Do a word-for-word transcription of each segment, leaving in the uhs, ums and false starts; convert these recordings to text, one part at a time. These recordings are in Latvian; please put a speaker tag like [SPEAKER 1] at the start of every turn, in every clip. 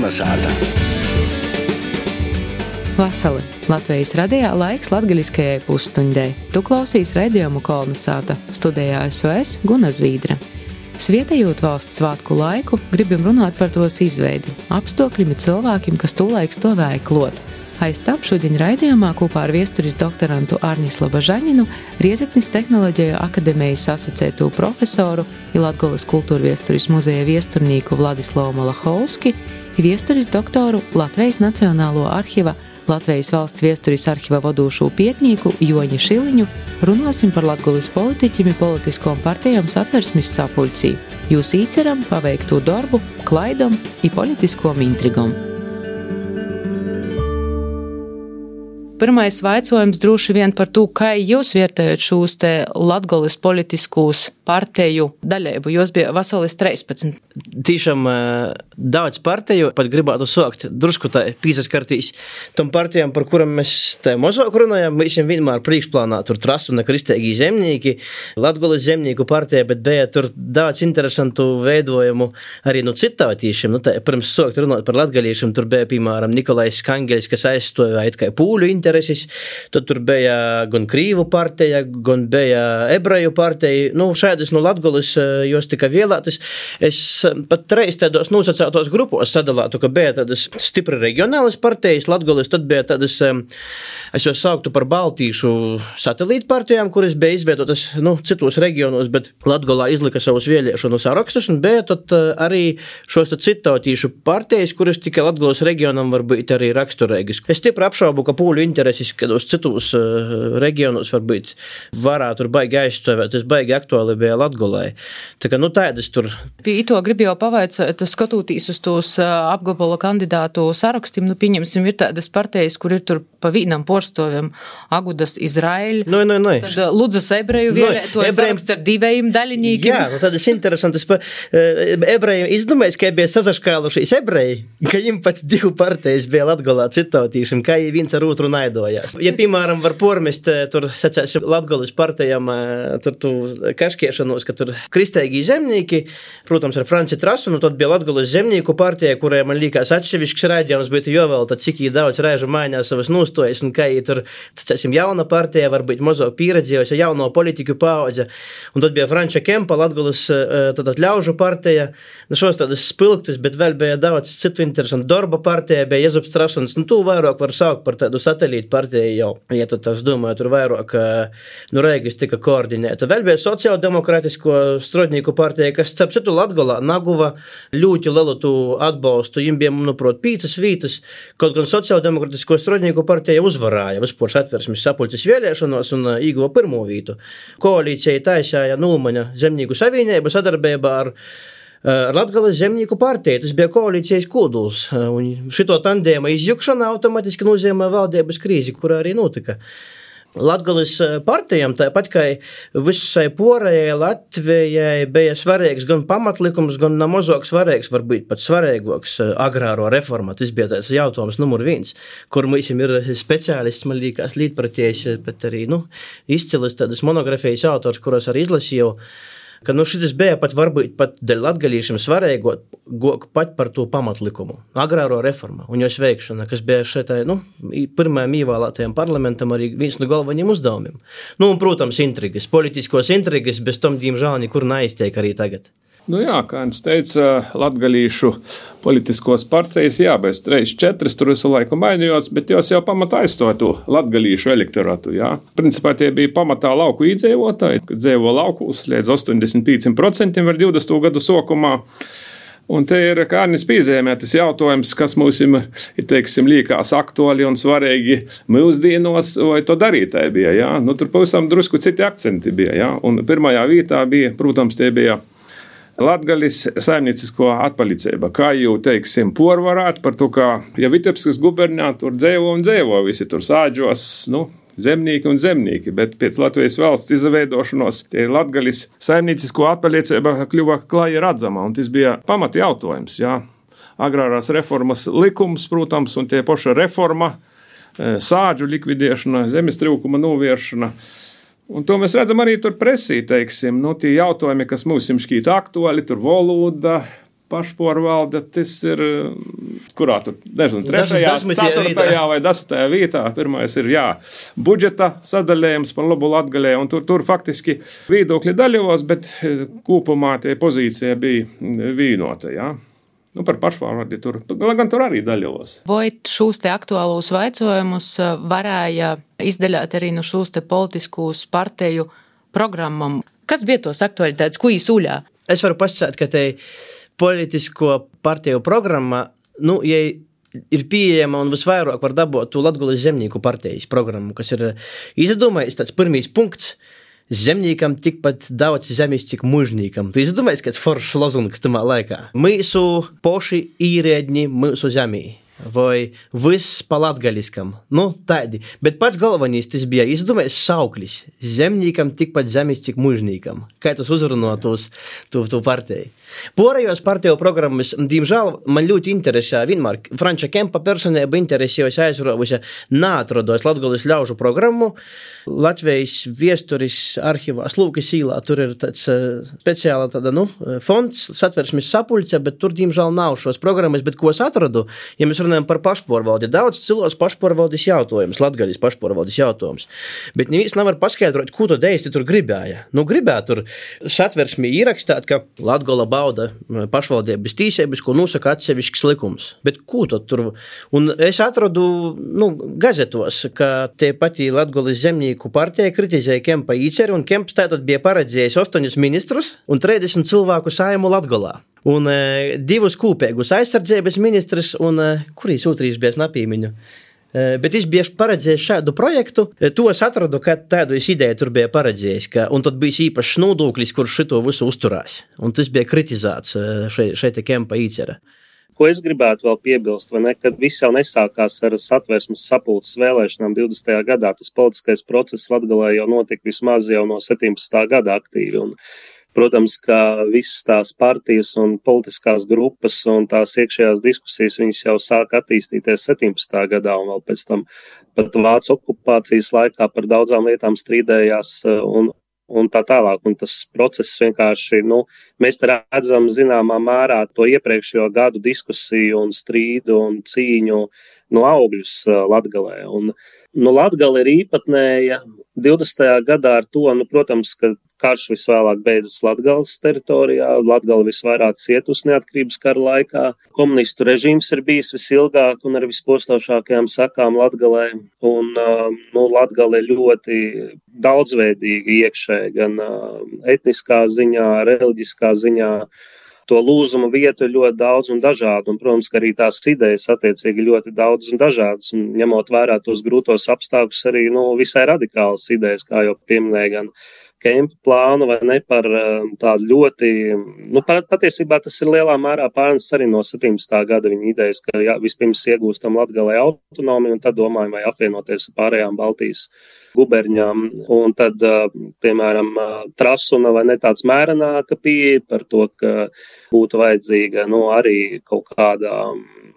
[SPEAKER 1] Kolnesāta.
[SPEAKER 2] Vasali. Latvijas radijā laiks latgaļiskajai pusstundai. Tu klausīs raidījumu Kolnesāta. Studijā esmu es, Guna Zvīdra. Svietējot valsts svātku laiku, gribam runāt par tos izveidi, apstākļiem un cilvēkiem, kas tūlaik stovēja klot. Aiz tam šodien raidījumā kopā ar viesturis doktorantu Arņislovu Žaņinu, Riezeknis Tehnoloģiju akademijas asociēto profesoru i Latgoles kultūrviesturis muzeja viesturnīku Vladislavu Malachovski i viesturis doktoru Latvijas Nacionālo arhiva Latvijas valsts viesturis arhiva vadūšo pietnīku Joņu Šiliņu runosim par Latgoles politiķim i politiskom partijom Satversmes sapulcī, jūs īceram paveikto darbu, klaidom i politiskom intrigom. Pirmais vaicojums droši vien par to, kā jūs vērtējat šos te Latgoles politiskos partiju daļēbu. Jūs bija vasalis trīspadsmit.
[SPEAKER 3] Tīšām daudz partiju, pat gribētu sākt drusku tā pīsaskartīs tom partijām, par kuram mēs tā mazāk runājam, visiem vienmēr priekšplānā tur trastu un kristēgī zemnīki, Latgoles zemnīku partija, bet bija tur daudz interesantu veidojumu arī no citātīšiem. Nu, tā, pirms sākt runāt par latgaliešiem, tur bija, piemēram, Nikolais Kangeļs, kas aizstāvēja kā pūļu intereses, tad tur bija gan Krīvu partija, gan bija Ebreju partija. Nu, šādas no Latgoles jos tika vēlētas. Es pat reiz tādos nosacētos grupos sadalātu, ka bija tādas stipri reģionālas partijas Latgoles, tad bija tādas, es jau sauktu par baltīšu satelītu partijām, kuras bija izveidotas, nu, citos reģionos, bet Latgolā izlika savus vēlēšanu sarakstus, un bija tad arī šos citautīšu partijas, kuras tikai Latgoles reģionam var būt arī raksturīgas. Es stipri apšaubu, ka pūļu intereses, kādos citos reģionos varbūt varētu tur baigi aizstāvēt, tas baigi aktuāli bija Latgolai. Tā kā, nu, tādas tur.
[SPEAKER 2] Pie ito gribu jau pavaicāt, skatoties uz tos apgabala kandidātu sarakstiem, nu, pieņemsim, ir tādas partijas, kur ir tur pa vienam porstoviem Agudas Izraēļa,
[SPEAKER 3] no, no, no.
[SPEAKER 2] tad Ludzas ebreju vienēto no, saraksts ar divējiem daļinīkiem.
[SPEAKER 3] Jā, nu, tādas interesantas. Pa, ebreju izdomājis, ka bija sazaškālušies ebreji, ka viņam pat divu partijas bija Latgolā citautīšiem, kā viens ar otru naidojās. Ja, piemēram, var pormest tur, sacēsim, Latgoles partijām tur tu kaškiešanos, ka tur kristēgī zemnīki, protams, ar Franci Trasu, nu tad bija Latgoles zemnieku partija, kurai man liekas atsevišķs raidījums, bet jau vēl tad cik jī daudz reižu mainās savas nostojas, un kā jī tur, sacēsim, jauna partija, varbūt mazāk pieredzējusi, jauno politiku paudze, un tad bija Franča Kempa, Latgoles tad ļaužu partija, nu šos tādas spilgtas, bet vēl bija daudz citu interesantu. Darba partija bija Jezups Trasuns, nu tu vairāk var saukt par tādu satelītu partiju jau, ja tu tās domāju, tur vairāk, nu Reigis tika koordinēta. Vēl bija sociāldemokrātisko strodnieku partija, kas starp citu Latgolā naguva ļoti lielu tu atbalstu. Viņam bija, manuprāt, pīcas vītas, kaut gan sociāldemokrātisko strodnieku partija uzvarāja vispār Satversmes sapulces vēlēšanos un ieguva pirmo vītu. Koalīcija taisīja Nulmaņa zemnieku savienību sadarbībā ar ar Latgoles zemnieku partiju. Tas bija koalīcijas koduls. Un šito tandēma izjukšana automatiski nozīmē valdības krīzi, kurā arī notika. Latgoles partijām, tāpat kā visai porējai Latvijai, bija svarīgs gan pamatlikums, gan namazāk svarīgs, varbūt pat svarīgāks agrāro reforma. Tas bija tāds jautājums numur viens, kur mums ir speciālists, man liekas, līdpratējs, bet arī, nu, izcilis tādas monografijas autors, kuras arī izlasīju, ka, nu, šitas bija pat varbūt pat dēļ latgaliešiem svarīgot pat par to pamatlikumu, agrāro reformu un jos veikšana, kas bija šeit, nu, pirmajam ievēlētajam parlamentam arī viens no galvenajiem uzdevumiem. Nu, un, protams, intrigas, politiskos intrigas, bez tom, diemžēl, nekur neiztiek arī tagad.
[SPEAKER 4] Nu jā, kā viņš teica, latgalīšu politiskos partijas, jā, bez trīs, četras tur visu laiku mainījos, bet jos jau pamatā aizstāja to latgalīšu elektoratu, jā. Principā tie bija pamatā lauku īdzīvotāji, kad dzīvo laukūs līdz astoņdesmit pieci procenti vēl divdesmito gadu sokumā. Un te ir Kārnis pīzēmē tas jautājums, kas mums ir, teiksim, liekas aktuāli un svarīgi mūsdienos, vai to darītāji bija, jā. Nu, tur pavisam drusku citi akcenti bija, jā. Un pirmajā vietā bija, protams, tie bija Latgalis saimniecisko atpalicība, kā jau, teiksim, porvarāt par to, kā, ja Vitebskas gubernijā tur dzēvo un dzēvo, visi tur sāģos, nu, zemnieki un zemnieki, bet pēc Latvijas valsts izveidošanos tie Latgalis saimniecisko atpalicība kļuva klāji redzama, un tas bija pamat jautājums, jā. Agrārās reformas likums, protams, un tie poša reforma, sāģu likvidēšana, zemes trūkuma novēršana. Un to mēs redzam arī tur presī, teiksim, nu, tie jautājumi, kas mums šķīt aktuāli, tur valoda, pašpārvalde, tas ir, kurā tur, nezinu, trešajā, ceturtajā vai desmitajā vietā. Pirmais ir, jā, budžeta sadaļējums par labu Latgalē, un tur, tur faktiski viedokļi daļos, bet kopumā tie pozīcija bija vienota, jā. Nu, par pašpārvaldi tur, gan tur arī daļos.
[SPEAKER 2] Vai šos te aktuālos vaicojumus varēja izdaļāt arī no šos te politiskos partiju programmam? Kas bija tos aktualitātes, ko īsuļā?
[SPEAKER 3] Es varu pasakāt, ka te politisko partiju programma, nu, ja ir pieejama un visvairāk var dabūt to Latgulis zemnieku partijas programmu, kas ir izdomājis tāds pirmīs punkts. Zemniekam tikpat daudz zemes, cik mužniekam. Tu izdomājies, kāds foršs lozungs tamā laikā. Mūsu poši īrēdņi mūsu zemī. Vai viss pa latgaliskam. Nu, tādi. Bet pats galvenais tas bija izdomājis sauklis. Zemniekam tikpat zemes, cik mužniekam. Kā tas uzrunotos tu, tu partiju. Porējos partiju programmas, diemžēl, man ļoti interesē vienmēr. Franča Kempa personība interesējas aizrovusi neatrodos Latgulis ļaužu programmu. Latvijas viesturis arhivās Lūkas īlā. Tur ir tāds uh, speciāla tāda, nu, fonds, satversmes sapulce, bet tur, diemžēl, nav šos programmas. Bet ko es atradu, ja mēs runājam par pašpārvaldi, daudz cilvēks pašpārvaldes jautājums, Latgaļas pašpārvaldes jautājums. Bet neviens nevar paskaidrot, ko to deisti tur gribēja. Nu, gribēja tur satversmi ierakstāt, ka Latgola bauda pašvaldības tīsības, ko nosaka atsevišķs likums. Bet ko to tur? Un es atradu, nu, gazetos, ka tie pati Latgolas zemnieku partija kritizēja Kempa īceri, un Kemps tātad bija paredzējis astoņus ministrus un trīsdesmit cilvēku saimu Latgolā. Un e, divus kūpēgus aizsardzības ministrs un, e, kurīs otrīs bija napīmiņu. E, bet es biju paredzējis šādu projektu, e, to es atradu, ka tādu es ideju tur bija paredzējis, ka, un tad bija īpašs nodoklis, kurš šito visu uzturās. Un tas bija kritizēts šeit, šeit Kempa īcera.
[SPEAKER 1] Ko es gribētu vēl piebilst, vai ne, kad viss jau nesākās ar satversmes sapulces vēlēšanām divdesmitajā gadā, tas politiskais process Latgalē jau notika vismaz jau no septiņpadsmitā gada aktīvi, un protams, ka visas tās partijas un politiskās grupas un tās iekšējās diskusijas, viņas jau sāk attīstīties septiņpadsmitā gadā un vēl pēc tam pat Vācu okupācijas laikā par daudzām lietām strīdējās un, un tā tālāk. Un tas process vienkārši, nu, mēs te redzam zināmā mērā to iepriekšējo gadu diskusiju un strīdu un cīņu no augļus Latgalē. Un, nu, Latgale ir īpatnēja divdesmitajā gadā ar to, nu, protams, ka karš visvēlāk beidzas Latgales teritorijā, Latgale visvairāk cietus neatkarības kara laikā. Komunistu režīms ir bijis visilgāk un ar vispostošākajām sakām Latgalē. Un, nu, Latgale ir ļoti daudzveidīga iekšēji, gan etniskā ziņā, reliģiskā ziņā. To lūzuma vietu ir ļoti daudz un dažādu, un, protams, ka arī tās idejas attiecīgi ļoti daudz un dažādas, un ņemot vērā tos grūtos apstākļus arī, nu, visai radikālas idejas, kā jau pieminēja gan Kempa plānu, vai ne, par tādu ļoti, nu, patiesībā tas ir lielā mērā pārnests arī no septiņpadsmitā gada viņa idejas, ka jā, vispirms iegūstam Latgalē autonomiju, un tad domājam, vai apvienoties ar pārējām Baltijas guberņām, un tad, piemēram, Trasuna vai ne tāds mērenāka pieeja par to, ka būtu vajadzīga, nu, arī kaut kādā,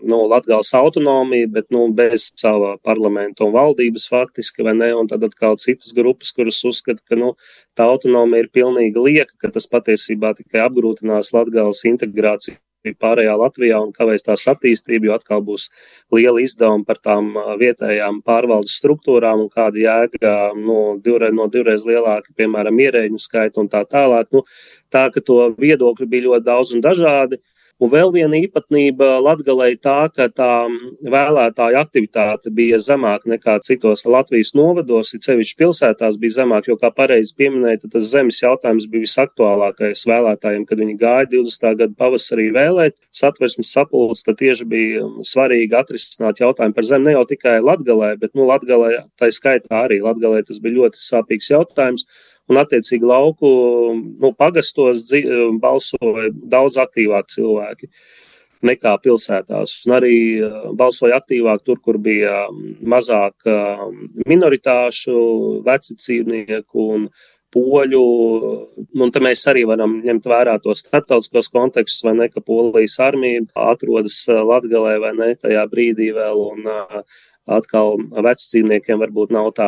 [SPEAKER 1] nu, Latgales autonomija, bet, nu, bez sava parlamenta un valdības faktiski, vai ne, un tad atkal citas grupas, kuras uzskata, ka, nu, tā autonomija ir pilnīgi lieka, ka tas patiesībā tikai apgrūtinās Latgales integrāciju pārējā Latvijā un kavēs tās attīstību, jo atkal būs liela izdevuma par tām vietējām pārvaldes struktūrām un kāda jēga, nu, divreiz, no divreiz lielāka, piemēram, ierēģu skaita un tā tālāk. Nu, tā, ka to viedokļu bija ļoti daudz un dažādi. Un vēl viena īpatnība Latgalē tā, ka tā vēlētāju aktivitāte bija zemāka nekā citos Latvijas novados, it sevišķi pilsētās bija zemāka, jo, kā pareizi pieminēja, tad tas zemes jautājums bija visaktuālākais vēlētājiem, kad viņi gāja divdesmitā gada pavasarī vēlēt. Satversmes sapulce, tad tieši bija svarīgi atrisināt jautājumu par zemi, ne jau tikai Latgalē, bet, nu, Latgalē, tā skaitā arī Latgalē tas bija ļoti sāpīgs jautājums. Un, attiecīgi, lauku, nu, pagastos balsoja daudz aktīvāk cilvēki nekā pilsētās. Un arī balsoja aktīvāk tur, kur bija mazāk minoritāšu, veci dzīvnieku un poļu. Un te mēs arī varam ņemt vērā tos starptautiskos kontekstus, vai ne, ka Polijas armija atrodas Latgalē, vai ne, tajā brīdī vēl. Un, atkal vecdzīvniekiem varbūt nav tā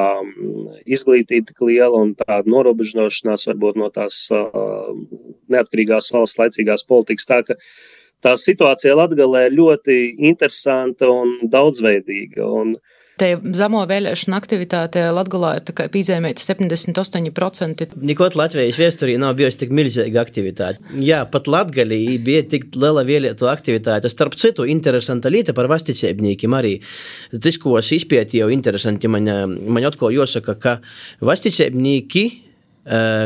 [SPEAKER 1] izglītība tik liela un tāda norobežošanās varbūt no tās uh, neatkarīgās valsts laicīgās politikas. Tā, ka tā situācija Latgalē ir ļoti interesanta un daudzveidīga. Un
[SPEAKER 2] Te zemo vēlēšanu aktivitāte Latgalā ir tikai pīzēmēta septiņdesmit astoņi procenti.
[SPEAKER 3] Nikot Latvijas viesturī nav bijusi tik milzīga aktivitāte. Jā, pat Latgalī bija tik liela vēlētu aktivitāte. Starp citu, interesanta lieta par vasticēbnīkiem arī. Tas, ko es izpētīju, interesanti man, man atkal jāsaka, ka vasticēbnīki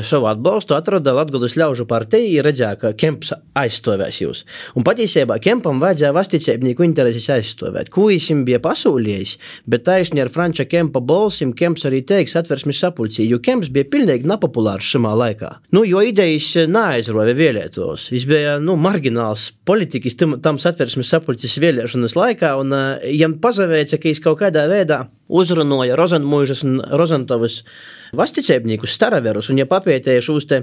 [SPEAKER 3] savu atbalstu atrada Latgales ļaužu partija un redzēja, ka Kemps aizstāvēs jūs. Un patiesībā Kempam vajadzēja vasticēbnieku intereses aizstāvēt. Ko viņam bija pasūlījis, bet taisni ar Franča Kempa balsim Kemps arī teiks Satversmes sapulcī, jo Kemps bija pilnīgi nepopulārs šamā laikā. Nu, jo idejas neaizroja vēlētos. Viņš bija, nu, margināls politikas tam Satversmes sapulcis vēlēšanas laikā, un uh, jam pazavēca, ka viņš kaut kādā veidā uzrunoja Rozenmuižas un Rozentovas vasticēbniekus, staraverus, un ja papētēja šos te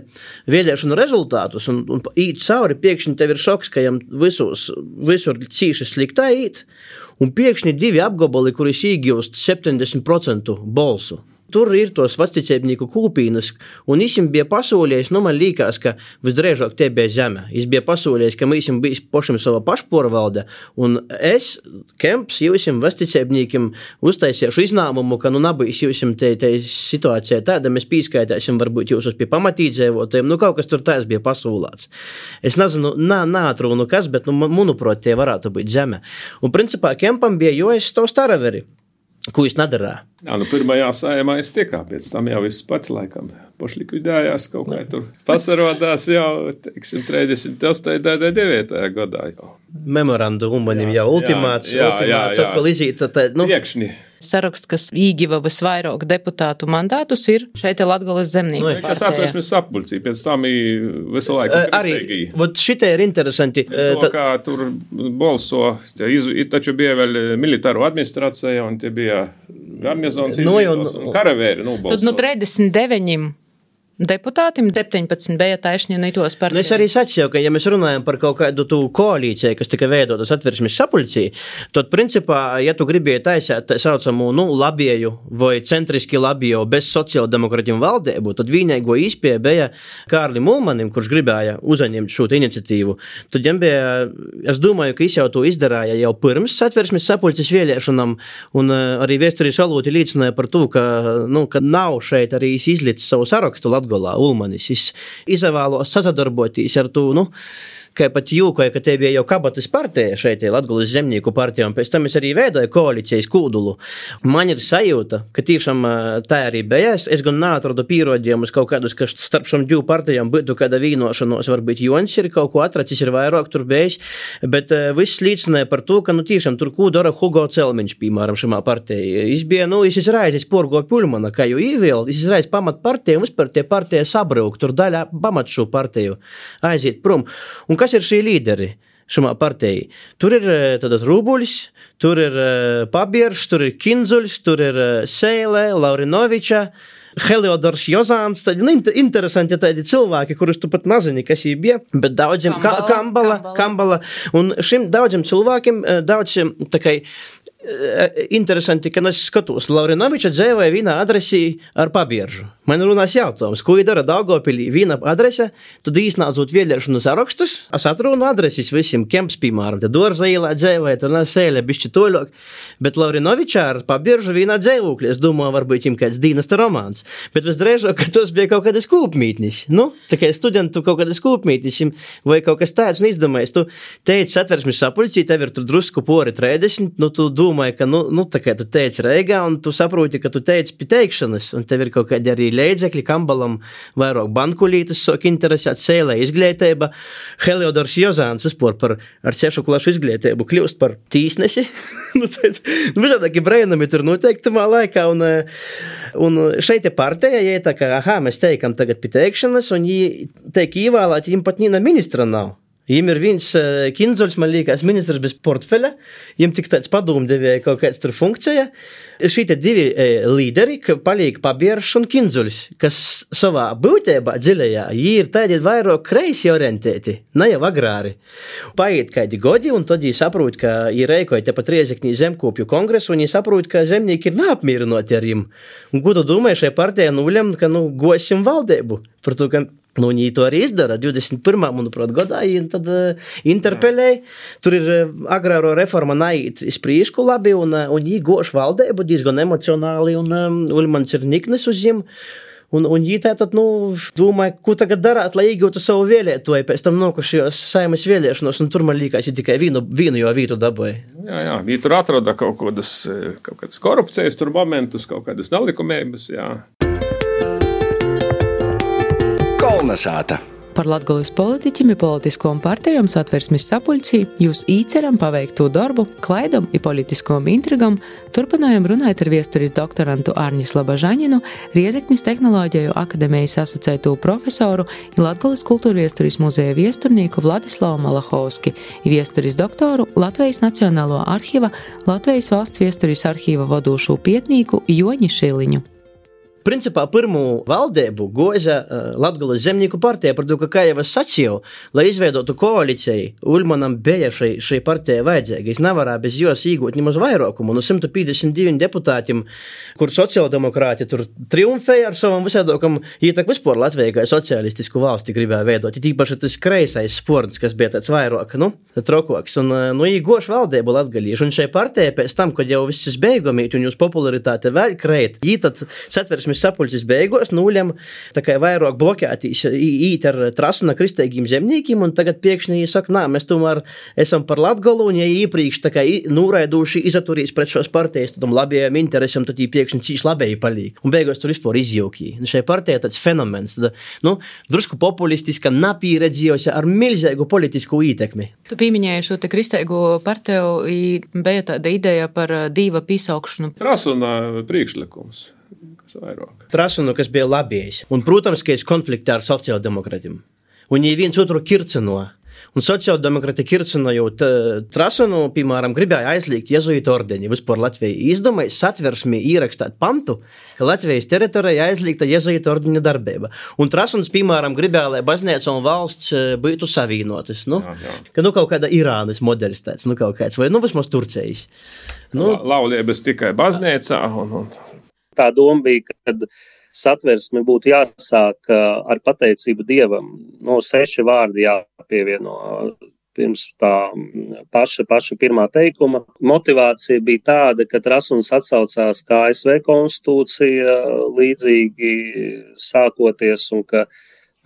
[SPEAKER 3] vēlēšanu rezultātus un, un īt cauri, piekšņi tev ir šoks, ka jam visos, visur cīši sliktā īt, un piekšņi divi apgabali, kuris īgūst septiņdesmit procentu bolsu. Tur ir tos vasticēbnieku kūpīnas, un viņam bija pasūlījis, nu man līkās, ka visdrēžāk te bija zeme. Viņš bija pasūlījis, ka viņam bija pašam sava pašporvalde, un es, Kemps, jūsim vasticēbniekiem uztaisīšu iznāmumu, ka nu nabīs jūsim te, te situācijā tāda, mēs pīskaitāsim varbūt jūsus pie pamatīdzēvotiem, nu kaut kas tur tās bija pasūlāts. Es nezinu, nā, nātrūnu kas, bet, nu, manuprāt, tie varētu būt zeme. Un principā Kempam bija jūs to staraveri, ko viņš nedarā.
[SPEAKER 4] Jā, nu pirmajā sājumā es tiekā, pēc tam jau viss pats laikam pošlikvidējās kaut kā tur. Pasarodās jau, teiksim, trīsdesmit astotajā devītajā gadā jau.
[SPEAKER 3] Memorandu umanim jau ultimāts,
[SPEAKER 4] jā,
[SPEAKER 3] ultimāts,
[SPEAKER 4] jā, jā.
[SPEAKER 3] atkal izīt, tā, nu.
[SPEAKER 4] Iekšņi.
[SPEAKER 2] Saraksts, kas īgiva visvairāk deputātu mandātus, ir šeit Latgales zemnieku
[SPEAKER 3] Nu,
[SPEAKER 2] partijā.
[SPEAKER 4] Kas Satversmes sapulcī, pēc tam ir visu laiku
[SPEAKER 3] Arī,
[SPEAKER 4] kristēgī.
[SPEAKER 3] vot šitie ir interesanti.
[SPEAKER 4] To, kā tur bolso, iz, taču bija vēl militāru administrācija, un tie bija garnizons
[SPEAKER 3] Nu, jau,
[SPEAKER 4] izvietos, un karavēri, nu, bolso.
[SPEAKER 2] Tad nu trīsdesmit deviņiem deputātiem, septiņpadsmit bija taisni nītos
[SPEAKER 3] Nu,
[SPEAKER 2] partijas.
[SPEAKER 3] es arī sacīju, ka ja mēs runājam par kaut kādu tu koalīciju, kas tika veidota Satversmes sapulcī, tad principā, ja tu gribēji taisēt tā saucamu, nu, labieju vai centriski labieju bez sociāldemokratiem valdību, tad vienīgo izpēja bija Kārlim Ulmanim, kurš gribēja uzaņemt šo iniciatīvu. Tad jam bija, es domāju, ka viņš jau to izdarāja jau pirms Satversmes sapulces vēlēšanām, un uh, arī vēsturīs valūti liecināja par to, ka, nu, ka nav šeit arī izlicis savu sarakstu Latgolā Ulmanis. Es izvēlos sasadarboties ar to, nu, kā pat jūkoja, ka te bija jau kabatas partija šeit, Latgales zemnieku partija, un pēc tam es arī veidoju koalīcijas kūdulu. Man ir sajūta, ka tiešām tā arī bija. Es, es gan neatradu pierādījumus kaut kādus, ka starp šiem divu partijām būtu kāda vīnošanos, varbūt Jons ir kaut ko atracis, ir vairāk tur bijis, bet uh, viss līdzināja par to, ka, nu, tiešām tur ko dara Hugo Celmiņš, piemēram, šamā partijā. Es bija, nu, es izraizis porgo Puļmana, kā jau īvēl, es izraizis pamat partiju, un vispār tie partija sabrūk, tur daļā pamat šo partiju aiziet prom. Un kas ir šī līderi šamā partijā? Tur ir tātad Rūbuļs, tur ir Pabierš, tur ir Kinzuļs, tur ir Seile, Laurinoviča, Heliodors Jozāns, tādi nu, interesanti tādi cilvēki, kurus tu pat nezini, kas viņi bija, bet daudziem Kambala, Kambala, Kambala, un šim daudziem cilvēkiem daudz tā kā interesanti, ka es skatos, Laurinoviča dzēvoja vienā adresī ar Pabieržu. Man runās jautājums, ko dara Daugavpilī viena adrese, tad īsnācot vēlēšanu sarakstus, es atrunu adreses visiem Kemps, piemēram, te Dorza ielā dzēvoja, tur nesēļa bišķi toļok, bet Laurinoviča ar Pabieržu vienā dzēvokļi, es domāju, varbūt viņam kāds dīnasta romāns, bet visdrēžāk, ka tos bija kaut kādas kūpmītnis, nu, tā kā studentu kaut kādas kūpmītnis, vai kaut kas tāds, un izdomājies, tu teici Satversmes sapulcī, tev ir tur drusku pori trīsdesmit, nu, tu domāji, ka, nu, nu, tā kā tu teici Reigā, un tu saproti, ka tu teici pie teikšanas, un tev ir kaut kādi arī leidzekļi, Kambalam vairāk bankulītas, sok interesēt Sēlē izglītība, Heliodors Jozāns vispār par ar sešu klašu izglītību kļūst par tīsnesi, nu, tāds, nu, visādāki brēnami tur noteiktumā laikā, un, un šeit ir partija, ja tā kā, aha, mēs teikam tagad pie teikšanas, un jī teik īvēlēt, jim pat nīna ministra nav. Jiem ir viens uh, Kinzuļs, man liekas, ministrs bez portfeļa, jiem tik tāds padomdevēja kaut kāds tur funkcija. Šī te divi e, līderi, ka paliek Pabierš un Kinzuļs, kas savā būtībā dziļajā, jī ir tādi vairāk kreisi orientēti, ne jau agrāri. Paiet kādi godi, un tad jī saprot, ka jī reikoja tepat Riezeknī zemkopju kongresu, un jī saprot, ka zemnieki ir neapmierināti ar jim. Un ko tu domāji šai partijai nulem, ka, nu, gosim valdību, par to, ka Nu, viņi to arī izdara. divdesmit pirmā manuprāt, gadā viņi tad uh, interpelēja. Tur ir uh, agrāro reforma naiet iz prīšku labi, un, uh, un viņi goš valdēbu diezgan emocionāli, un um, Uļmans ir niknis uz viņu. Un, un viņi tātad, nu, domāja, ko tagad darāt, lai iegūtu savu vēlētoju, pēc tam nokušajos Saimas vēlēšanos, un tur man līkās, ja tikai vienu, vienu jau vītu dabūja.
[SPEAKER 4] Jā, jā, viņi tur atroda kaut kādas, kaut kādas korupcijas tur momentus, kaut kādas nelikumības, jā.
[SPEAKER 2] Kolnesāta. Par Latgoles politiķim i politiskajām partijām Satversmes sapuļcī jūs īceram paveikto darbu, klaidam i politiskajām intrigam, turpinājam runāt ar viesturis doktorantu Arņu Slabažaņinu, Riezeknis tehnoloģiju akademijas asociēto profesoru i Latgoles kultūrviesturis muzeja viesturnieku Vladislavu Malachovski i viesturis doktoru Latvijas Nacionālo arhīva, Latvijas valsts viesturis arhīva vadūšo pietnīku Joņi Šiliņu.
[SPEAKER 3] Principā pirmū valdību goza uh, Latgoles zemnieku partija, par to, ka, kā jau es sacīju, lai izveidotu koalīciju, Uļmanam bija šai, šai partijai vajadzīga. Es nevarēju bez jos īgūt nemaz vairākumu. No simt piecdesmit diviem deputātiem, kur sociāldemokrāti tur triumfēja ar savam visādokam, ītak vispār Latvijai kā socialistisku valsti gribēja veidot. Ir tīpaši tas kreisais sports, kas bija tāds vairāk, nu, trokoks. Un, nu, īgoš valdību latgalīšu. Un šai partijai pēc tam, kad jau viss beigumīt un jūs popularitāte vēl kreit, ītat Satversmes sapuļcis beigos nūļam tā kā vairāk blokētīs īt ar Trasuna kristīgiem zemniekiem, un tagad pēkšņi saka, nā, mēs tomēr esam par Latgolu, un ja iepriekš tā kā nūraiduši izaturīs pret šos partijas, tādam labajiem interesam, tad jī pēkšņi cīši labēji palīk. Un beigos tur vispār izjaukī. Šai partijai tāds fenomens, tad, nu, drusku populistiska, napīredzījusi ar milzīgu politisku ītekmi.
[SPEAKER 2] Tu pieminēji šo te kristīgu partiju, bija tāda ideja par dīva pīsaukšanu.
[SPEAKER 4] Trasuna priekšlikums.
[SPEAKER 3] Trasunu, kas bija labējis. Un, protams, ka es konfliktā ar sociāldemokratiem. Un viņi viens otru kircino. Un sociāldemokrati kircinojot Trasunu, piemēram, gribēja aizliegt jezuītu ordeni. Vispār Latvija izdomāja Satversmī ierakstāt pantu, ka Latvijas teritorijā aizliegta jezuītu ordeni darbība. Un Trasuns, piemēram, gribēja, lai baznīca un valsts būtu savīnotas. Nu, jā, jā. Ka nu kaut kāda Irānas modelis tāds, nu kaut kāds, vai nu vismaz Turcijas. Nu,
[SPEAKER 4] La, laulības tikai baznīcā un... un...
[SPEAKER 1] Tā doma bija, kad Satversme būtu jāsāk ar pateicību Dievam. No seši vārdi jāpievieno pirms tā paša, paša pirmā teikuma. Motivācija bija tāda, ka Trasuns atsaucās kā A S V konstitūcija līdzīgi sākoties un ka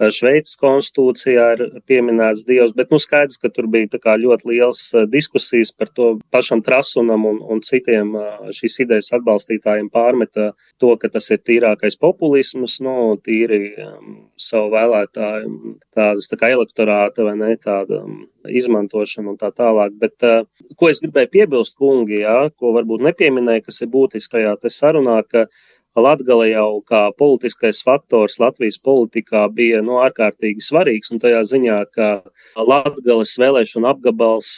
[SPEAKER 1] Šveices konstitūcijā ir pieminēts Dievs, bet nu skaidrs, ka tur bija tā kā ļoti liels diskusijas par to pašam Trasunam un, un citiem šīs idejas atbalstītājiem pārmeta to, ka tas ir tīrākais populisms, nu, tīri um, savu vēlētāju tādas tā kā elektorāta vai ne, tāda um, izmantošana un tā tālāk. Bet, uh, ko es gribēju piebilst, kungi, jā, ko varbūt nepieminēju, kas ir būtiski tajā te sarunā, ka Latgale jau kā politiskais faktors Latvijas politikā bija no ārkārtīgi svarīgs, un tajā ziņā, ka Latgales vēlēšana apgabals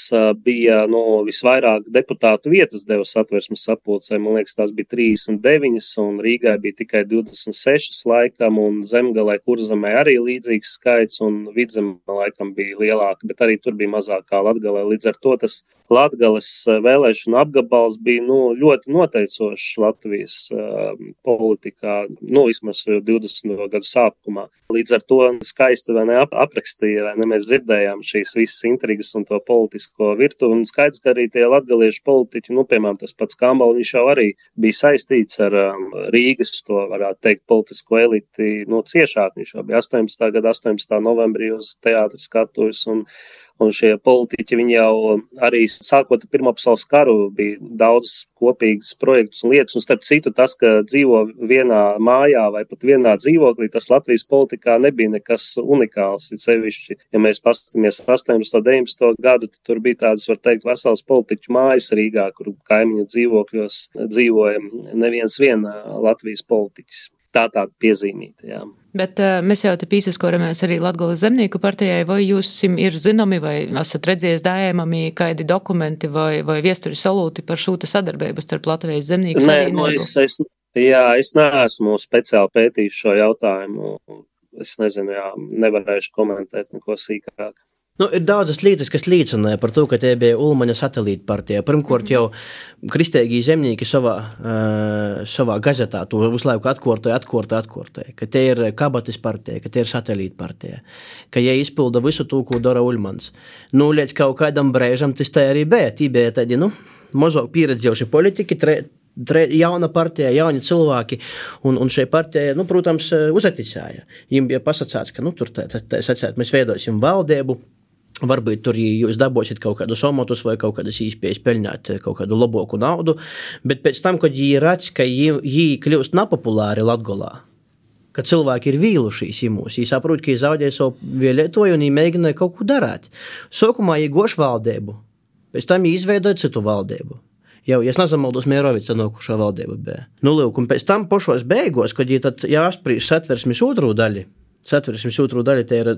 [SPEAKER 1] bija no visvairāk deputātu vietas deva Satversmes sapulcē. Man liekas, tās bija trīsdesmit deviņas, un Rīgai bija tikai divdesmit sešas laikam, un Zemgalē, Kurzemē arī līdzīgs skaits, un Vidzemē laikam bija lielāka, bet arī tur bija mazāk kā Latgalē. Līdz ar to tas Latgales vēlēšana apgabals bija nu, ļoti noteicošs Latvijas uh, politikā, nu, vismaz divdesmito gadu sākumā. Līdz ar to skaisti vai ne ap, aprakstīja, vai ne mēs dzirdējām šīs visas intrigas un to politisko virtuvi. Un skaidrs, ka arī tie latgaliešu politiķi, nu, piemēram, tas pats Kambala, viņš jau arī bija saistīts ar um, Rīgas, to varētu teikt, politisko eliti, nu, ciešāk. Viņš jau bija astoņpadsmitā gada astoņpadsmitā novembrī uz teātris skatuves, un Un šie politiķi, viņi jau arī sākot ar Pirmo pasaules karu bija daudz kopīgas projektus un lietas. Un starp citu tas, ka dzīvo vienā mājā vai pat vienā dzīvoklī, tas Latvijas politikā nebija nekas unikāls. Ir sevišķi, ja mēs paskatāmies astoņpadsmito, deviņpadsmito gadu, tad tur bija tādas, var teikt, vesels politiķu mājas Rīgā, kur kaimiņu dzīvokļos dzīvoja neviens vien Latvijas politiķis. Tā tāda piezīmīta, jā.
[SPEAKER 2] Bet uh, mēs jau te pīsaskoramies arī Latgoles zemnieku partijai, vai jūs ir zināmi, vai esat redzējis dājēmami kādi dokumenti vai, vai viesturi solūti par šūta sadarbību starp Latvijas zemnieku savienību?
[SPEAKER 1] Nē, nu es, es, jā, es neesmu speciāli pētījis šo jautājumu. Es nezinu, jā, nevarēšu komentēt neko sīkāk.
[SPEAKER 3] Nu, ir daudzas lietas, kas liecināja par to, ka tie bija Ulmaņa satelīta partija. Pirmkārt, jau kristēgī zemnieki savā, uh, savā gazetā to visu laiku atkārtoja, atkārtoja, atkārtoja, ka tie ir kabatas partija, ka tie ir satelīta partija, ka jie izpilda visu to, ko dara Ulmans. Nu, līdz kaut kādam brēžam tas tā arī bija. Tī bija tādi, nu, mazāk pieredzējuši politiki, tre, tre, jauna partija, jauni cilvēki, un, un šai partija, nu, protams, uzaticēja. Viņam bija pasacāts, ka, nu, tur tā, tā, tā sacēt, mēs veidosim valdību, varbūt tur jūs dabosiet kaut kādus omotus vai kaut kādas īspējas peļņāt kaut kādu laboku naudu, bet pēc tam, kad jī redz, ka jī, jī kļūst nepopulāri Latgolā, ka cilvēki ir vīlušies imūs, jī saprot, ka jī zaudēja savu vēlētoju un jī mēģināja kaut ko darāt. Sokumā jī goš valdību, pēc tam jī izveidoja citu valdību. Jau, ja es nesamaldos, Mierovica nokušā valdība bija. Nu, lūk, un pēc tam pošos beigos, kad jī tad jāsprīž satversmes otru daļu, satversmes otru daļu, te ir,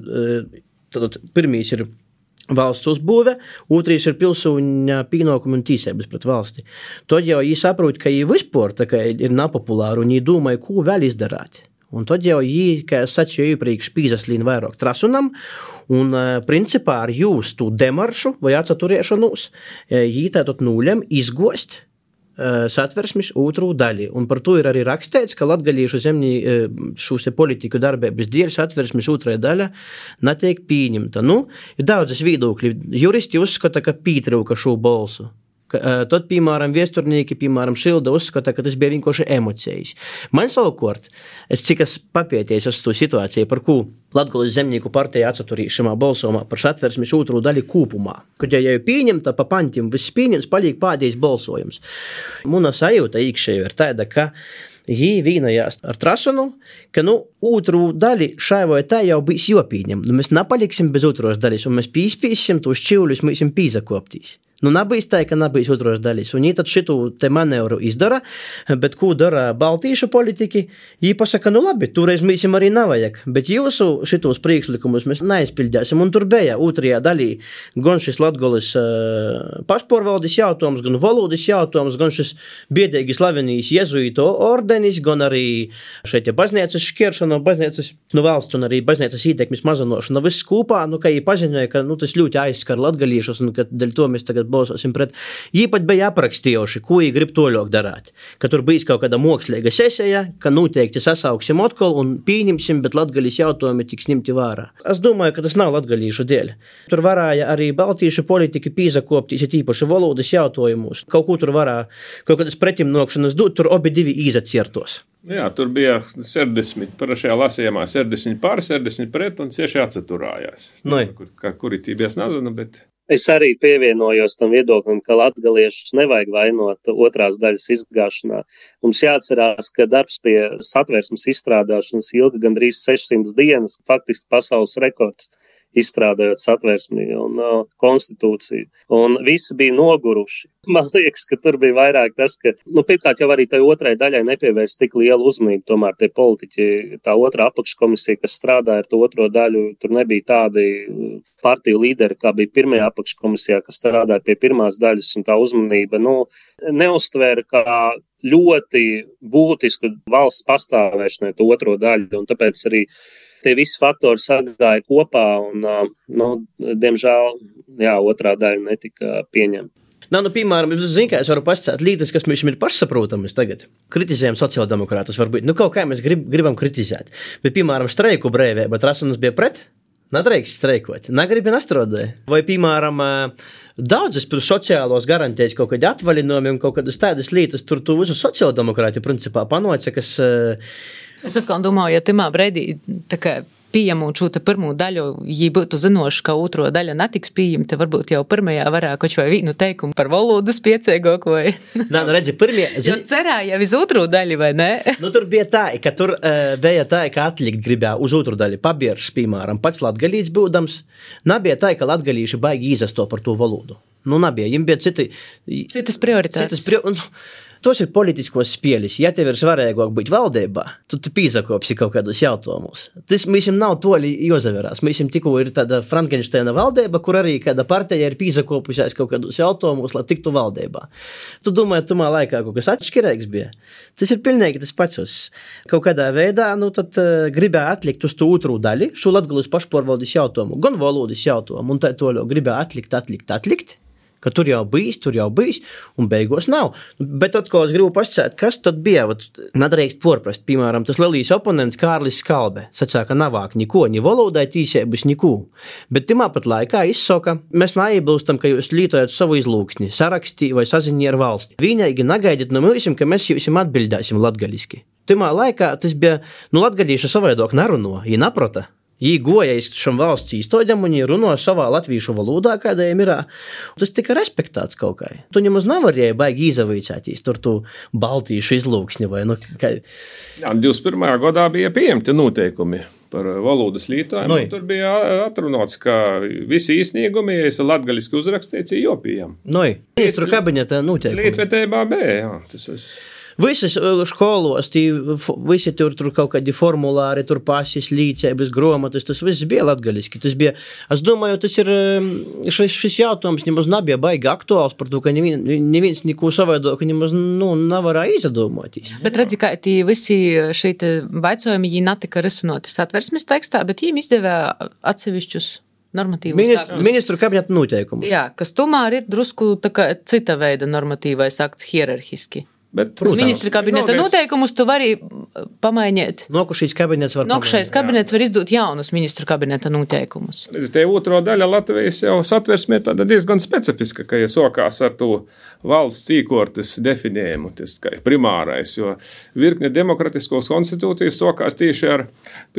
[SPEAKER 3] tad pirmīs ir valsts uzbūve, otrīs ir pilsūņa pienākumi un tīsības pret valsti. Tad jau jī saprot, ka jī vispār tā kā ir nepopulāri un jī domāja, ko vēl izdarāt. Un tad jau jī, kā es sacīju iepriekš, pīzaslīn vairāk trasunam un principā ar jūs tu demaršu vai atsaturiešanos jī tātad nūļam izgost satversmes otru daļu. Un par to ir arī rakstīts, ka latgalīšu zemnī šūs politiku darbības dēļ satversmes otrā daļa netiek pieņemta. Nu, ir daudzas viedokļi. Juristi uzskata, ka pietrūka šo balsu. Tad, piemēram, viesturnieki, piemēram, Šilda uzskata, ka tas bija vienkārši emocijas. Man savukārt, es cik es papēties uz to situāciju, par ko Latgoles zemnieku partija atsaturīšamā balsomā par satversmes otru daļu kūpumā. Kad ja jau pieņemta pa pantim, viss pieņems, paliek pādējis balsojums. Muna sajūta īkšēju ir tāda, ka jī vīnojās ar trasunu, ka, nu, otru daļu šai vai tā jau bijis jopīņem. Nu, mēs nepaliksim bez otros daļas, un mēs pīspīsim tos čivļus, mēs esam pīzakoptīs. Nu, nebijis tā, ka nebijis otros daļas. Un jī tad šitu te manevru izdara, bet ko dara baltīšu politiki? Jī pasaka, nu labi, toreiz mēs arī nevajag, bet jūsu šitos priekšlikumus mēs neizpildēsim. Un tur bija otrajā daļī gan šis Latgoles uh, pašpārvaldes jautājums, gan valodas jautājums, gan šis biedēgi slavenīs jezuīto ordenis, gan arī šeit ja baznīcas šķiršana, baznīcas, nu, valsts un arī baznīcas ietekmes mazanošana. Viss kopā, nu, ka jī paziņoja, ka, nu, tas ļoti aizskar latgalīšus un ka dēļ to mēs tagad balsosim pret. Jī pat bija aprakstījuši, ko jī grib toļok darāt. Ka tur bijis kaut kāda mākslīga sesija, ka noteikti sasauksim atkal un pieņemsim, bet latgalīs jautājumi tiks ņemti vērā. Es domāju, ka tas nav latgalīšu dēļ. Tur varēja arī baltīšu politiki pīzakoptīs, ja tīpaši valodas jautājumus. Kaut ko tur varēja, kaut kādas pretimnokšanas dot, tur obi divi īzaciertos.
[SPEAKER 4] Jā, tur bija sešdesmit, parašajā lasījumā sešdesmit pār, sešdesmit pret un cieši atsaturājās.
[SPEAKER 3] Noi.
[SPEAKER 4] Kur, kuri tībijas nezinu, bet...
[SPEAKER 1] Es arī pievienojos tam viedoklim, ka latgaliešus nevajag vainot otrās daļas izgāšanā. Mums jāatcerās, ka darbs pie satversmes izstrādāšanas ilga gandrīz sešsimt dienas, faktiski pasaules rekords izstrādājot satversmi un uh, konstitūciju. Un visi bija noguruši. Man liekas, ka tur bija vairāk tas, ka, nu, pirmkārt jau arī tai otrai daļai nepievērst tik lielu uzmanību, tomēr tie politiķi, tā otrā apakškomisija, kas strādāja ar to otro daļu, tur nebija tādi partiju līderi, kā bija pirmajā apakškomisijā, kas strādāja pie pirmās daļas, un tā uzmanība, nu, neuztvēra kā ļoti būtisku valsts pastāvēšanai to otro daļu, un tāpēc arī tie visi faktori sagāja kopā un, nu, diemžēl, jā, otrā daļa netika pieņemta.
[SPEAKER 3] Nā, nu, piemēram, es zinu, ka es varu pascēt lītas, kas mums ir pašsaprotamas tagad. Kritizējam sociāldemokrātus varbūt. Nu, kaut kā mēs grib, gribam kritizēt. Bet, piemēram, streiku brīvība, Trasunas bija pret? Nedrīkst streikot. Negribi nestrādāja. Vai, piemēram, daudzas sociālos garantējas kaut kādi atvaļinājumi un kaut kādas tādas lietas, tur tu visu sociāldemokrāti principā panoca, kas...
[SPEAKER 2] Es atkal domāju, ja timā breidī tā kā pieņemot šo te pirmo daļu, ja būtu zinoši, ka otro daļa netiks pieņemta, varbūt jau pirmajā varētu kaut vai vienu teikumu par valodas piecēgoku vai...
[SPEAKER 3] Nā, nu redzi, pirmie...
[SPEAKER 2] Jo cerāja uz otro daļu, vai ne?
[SPEAKER 3] Nu, tur bija tā, ka tur uh, bija tā, ka atlikt gribēja uz otru daļu pabieršs, piemēram, pats latgalīts būdams. Nebija tā, ka latgalīši baigi īzasto par to valodu. Nu, nebija, jim bija citi...
[SPEAKER 2] Citas prioritātes.
[SPEAKER 3] Citas pri... tos ir politiskos spielis. Ja tev ir svarīgāk būt valdībā, tad tu pīzakopsi kaut kādus jautājumus. Tas mēs nav toli jozaverās. Mēs tikko ir tāda Frankensteina valdība, kur arī kāda partija ir pīzakopusies kaut kādus jautājumus, lai tiktu valdībā. Tu domāji, tumā laikā kaut kas atšķirīgs bija. Tas ir pilnīgi tas pats. Kaut kādā veidā, nu tad uh, gribēja atlikt uz to otru daļu, šo Latgalijas pašpārvaldes jautājumu, gan valodas jautājumu, un tā toļo gribēja atlikt, atlikt, atlikt, ka tur jau bijis, tur jau bijis, un beigos nav. Bet atkal es gribu pasacēt, kas tad bija, nedrīkst porprast, piemēram, tas lielīs oponents Kārlis Skalbe, sacīja, ka navāk niko, ni valodai tīsēbus, niku. Bet timā pat laikā izsaka, mēs neiebilstam, ka jūs lietojat savu izlūksni, sarakstī vai saziņi ar valsti. Viņaigi nagaidiet no mūsim, ka mēs jums atbildēsim latgaliski. Timā laikā tas bija, nu latgalīšu savaidok naruno, ja naprota. Jī goja iz šam valsts īstoģam un jī runo savā latvīšu valodā, kādā jiem irā. Tas tika respektāts kaut kā. Tu nemaz nevarēja baigi izavīcētīs tur tu baltīšu izlūksni vai, nu, kā...
[SPEAKER 4] Jā, divdesmit pirmajā gadā bija pieņemti noteikumi par valodas lietojumu.
[SPEAKER 3] Noi.
[SPEAKER 4] Tur bija atrunots, ka visi īsniegumi, ja esi latgaliski uzrakstīts, ir jopījam.
[SPEAKER 3] Noi, ministru kabineta noteikumi.
[SPEAKER 4] Līdvetībā B, jā, tas viss.
[SPEAKER 3] Visas školos, tī, visi tur, tur kaut kādi formulāri, tur pasis, līdzēbas, gromatas, tas viss bija latgaliski. Tas bija, es domāju, tas ir, šis, šis jautājums nemaz nebija baigi aktuāls par to, ka neviens, neviens neko savādāk nemaz, nu, nevarēja izdomāties.
[SPEAKER 2] Bet redzi, ka tī visi šeit vaicojumi, jī netika risinoti satversmes tekstā, bet jīm izdevē atsevišķus normatīvus
[SPEAKER 3] Ministru,
[SPEAKER 2] aktus.
[SPEAKER 3] ministru kabineta noteikumus.
[SPEAKER 2] Jā, kas tomēr ir drusku tā kā cita veida normatīvais akts hierarhiski.
[SPEAKER 4] Bet,
[SPEAKER 2] Ministra kabineta noteikumus tu vari pamainīt.
[SPEAKER 3] Nokušīs kabinets var
[SPEAKER 2] Nokšais kabinets var izdot jaunus ministru kabineta noteikumus.
[SPEAKER 4] Te otro daļa Latvijas jau satversmē tāda diezgan specifiska, ka ja sokās ar to valsts īkortes definējumu, tas kā primārais, jo virkne demokratiskos konstitūcijas sokās tieši ar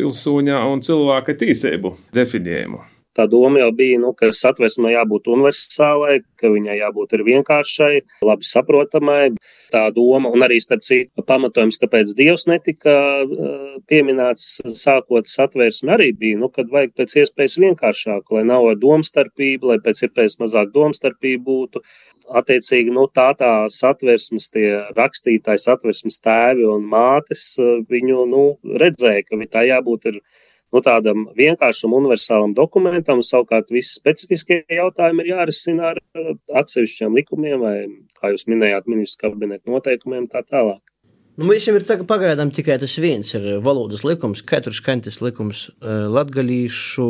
[SPEAKER 4] pilsūņa un cilvēka tīseibu definējumu.
[SPEAKER 1] Tā doma jau bija, nu, ka satversmē jābūt universālai, ka viņai jābūt ir vienkāršai, labi saprotamai. Tā doma, un arī starp citu pamatojums, kāpēc Dievs netika uh, pieminēts sākot satversmi, arī bija, nu, kad vajag pēc iespējas vienkāršāku, lai nav domstarpība, lai pēc iespējas mazāk domstarpība būtu. Attiecīgi, nu, tā tā satversmes, tie rakstītāji satversmes tēvi un mātes, viņu, nu, redzēja, ka tā jābūt ir nu, tādam vienkāršam universālam dokumentam, savukārt visi specifiskie jautājumi ir jārisina ar atsevišķiem likumiem vai, kā jūs minējāt, ministru kabineta noteikumiem tā tālāk.
[SPEAKER 3] Nu, mēs jau ir tagad pagaidām tikai tas viens ir valodas likums, katrs kantis likums latgalīšu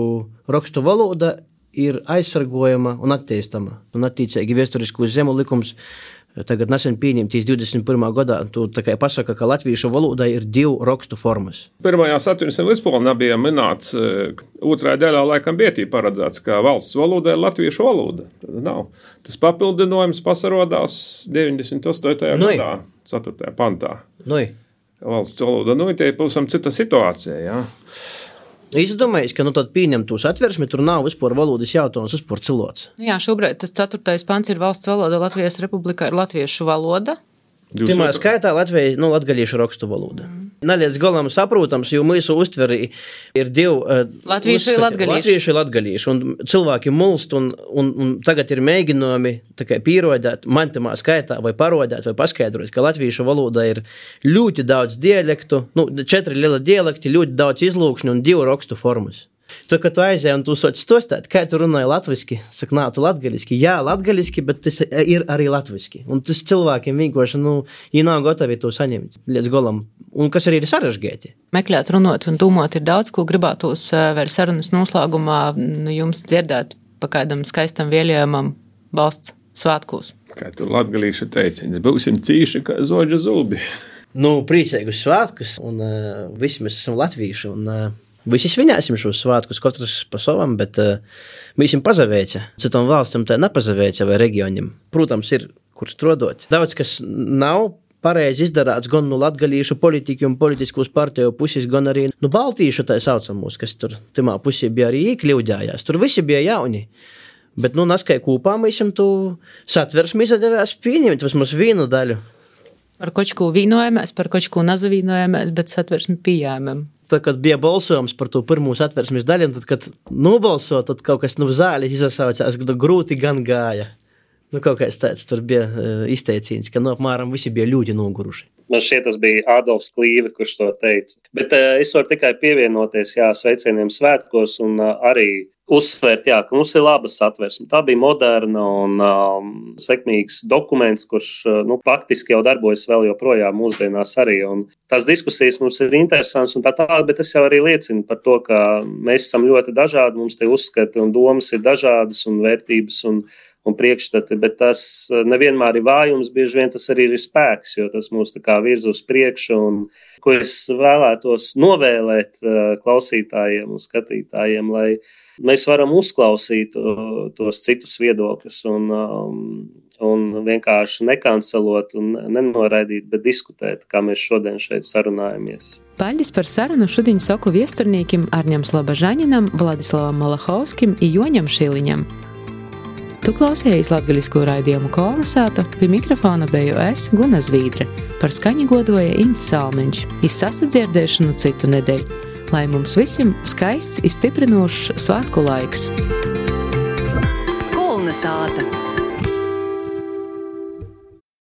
[SPEAKER 3] rakstu valoda ir aizsargojama un attīstama. Un attīcīgi vēsturisku zemu likums tagad nesen pieņemtīs divdesmit pirmā gadā, tu tā kā pasaka, ka latviešu valodai ir divu rakstu formas.
[SPEAKER 4] Pirmajā satversmes līdzpolnā bija minēts, otrā daļā laikam bija tī paredzēts, ka valsts valoda ir latviešu valoda. Tad nav. Tas papildinojums pasarodās deviņdesmit astotajā
[SPEAKER 3] Noi.
[SPEAKER 4] gadā, ceturtajā pantā.
[SPEAKER 3] Noi.
[SPEAKER 4] Valsts valoda, nu, tie ir pavisam cita situācija, jā.
[SPEAKER 3] Es domāju, ka nu tad pieņemtu satversmi, tur nav vispār valodas jautājums, vispār cilvēks.
[SPEAKER 2] Jā, šobrīd tas ceturtais pants ir valsts valoda, Latvijas republikā ir latviešu valoda.
[SPEAKER 3] Timā skaitā Latvijas, nu, latgalīšu rakstu valoda. Mm. Neliec galam saprotams, jo mūsu uztveri ir divi uh,
[SPEAKER 2] latviešu ir latgalīšu.
[SPEAKER 3] Latviešu ir latgalīšu, un cilvēki mulst, un, un, un tagad ir mēģinājumi tā kā pierodēt, man timā skaitā, vai parodēt, vai paskaidrot, ka latviešu valoda ir ļoti daudz dialektu, nu, četri liela dialekti, ļoti daudz izlūkšņu un divu rakstu formas. Tu, kad tu aizēji un tu soci stostāt, kā tu runāji latviski, saka, nā, tu latgaliski. Jā, latgaliski, bet tas ir arī latviski. Un tas cilvēkiem vienkārši, nu, ja nav gatavi to saņemt līdz golam. Un kas arī ir sarežģīti.
[SPEAKER 2] Meklēt, runot un domāt ir daudz, ko gribētos vēl sarunas noslēgumā nu, jums dzirdēt pa kādam skaistam vēlējumam valsts svētkos.
[SPEAKER 4] Kā tu latgalīšu teiciens, būsim cīši kā zoģa zubi.
[SPEAKER 3] Nu, priecīgus svētkus, un uh, visi mēs esam latvīši, un uh, visi svinēsim šos svētkus, katrs pa savam, bet uh, visiem pazavēca. Citam valstam tā nepazavēca vai reģionam. Protams, ir, kur strodot. Daudz, kas nav pareizi izdarāts gan no latgalīšu politiķu un politiskos partiju puses, gan arī no baltīšu tā saucamos, kas tur timā pusē bija arī iekļūdājās. Tur visi bija jauni. Bet, nu, naskai kūpā mēs esam tu satversmi izdevās pieņemt vismaz vienu daļu.
[SPEAKER 2] Par kočku vīnojamies, par kočku nazavīnojamies, bet satversmi pieņēmam.
[SPEAKER 3] Tad, kad bija balsojums par to pirmo satversmes daļu, tad, kad nobalso, tad kaut kas nu zāli izsaucās, kad grūti gan gāja. Nu, kaut kāds tāds tur bija uh, izteicīns, ka, nu, apmēram visi bija ļoti noguruši.
[SPEAKER 1] Man šķiet, tas bija Adolfs Klīve, kurš to teica. Bet uh, es varu tikai pievienoties, jā, sveicieniem svētkos un uh, arī uzsvērt, jā, ka mums ir laba satversme. Tā bija moderna un um, sekmīgs dokuments, kurš uh, nu, faktiski jau darbojas vēl joprojām mūsdienās arī. Un tās diskusijas mums ir interesantas un tā tālāk, bet tas jau arī liecina par to, ka mēs esam ļoti dažādi, mums tie uzskati un domas ir dažādas un vērtības un, un priekšstati, bet tas nevienmēr ir vājums, bieži vien tas arī ir spēks, jo tas mūs tā kā virz uz priekšu un ko es vēlētos novēlēt uh, klausītājiem un skatītājiem, lai mēs varam uzklausīt uh, tos citus viedokļus un, um, un vienkārši nekancelot un nenoraidīt, bet diskutēt, kā mēs šodien šeit sarunājamies.
[SPEAKER 2] Paļģis par sarunu šodien saku viesturniekim Arņam Slabažaņinam, Vladislavam Malahovskim i Joņam Šiliņam. Tu klausējies latgaļisko raidījumu Kolnesāta, pie mikrofona beju es, Guna Zvīdre, par skaņu godoja Ints Salmeņš, iz sasadzirdēšanu citu nedēļu. Lai mums visiem skaists, izstiprinošs svātku laiks.
[SPEAKER 5] Kolnesāta.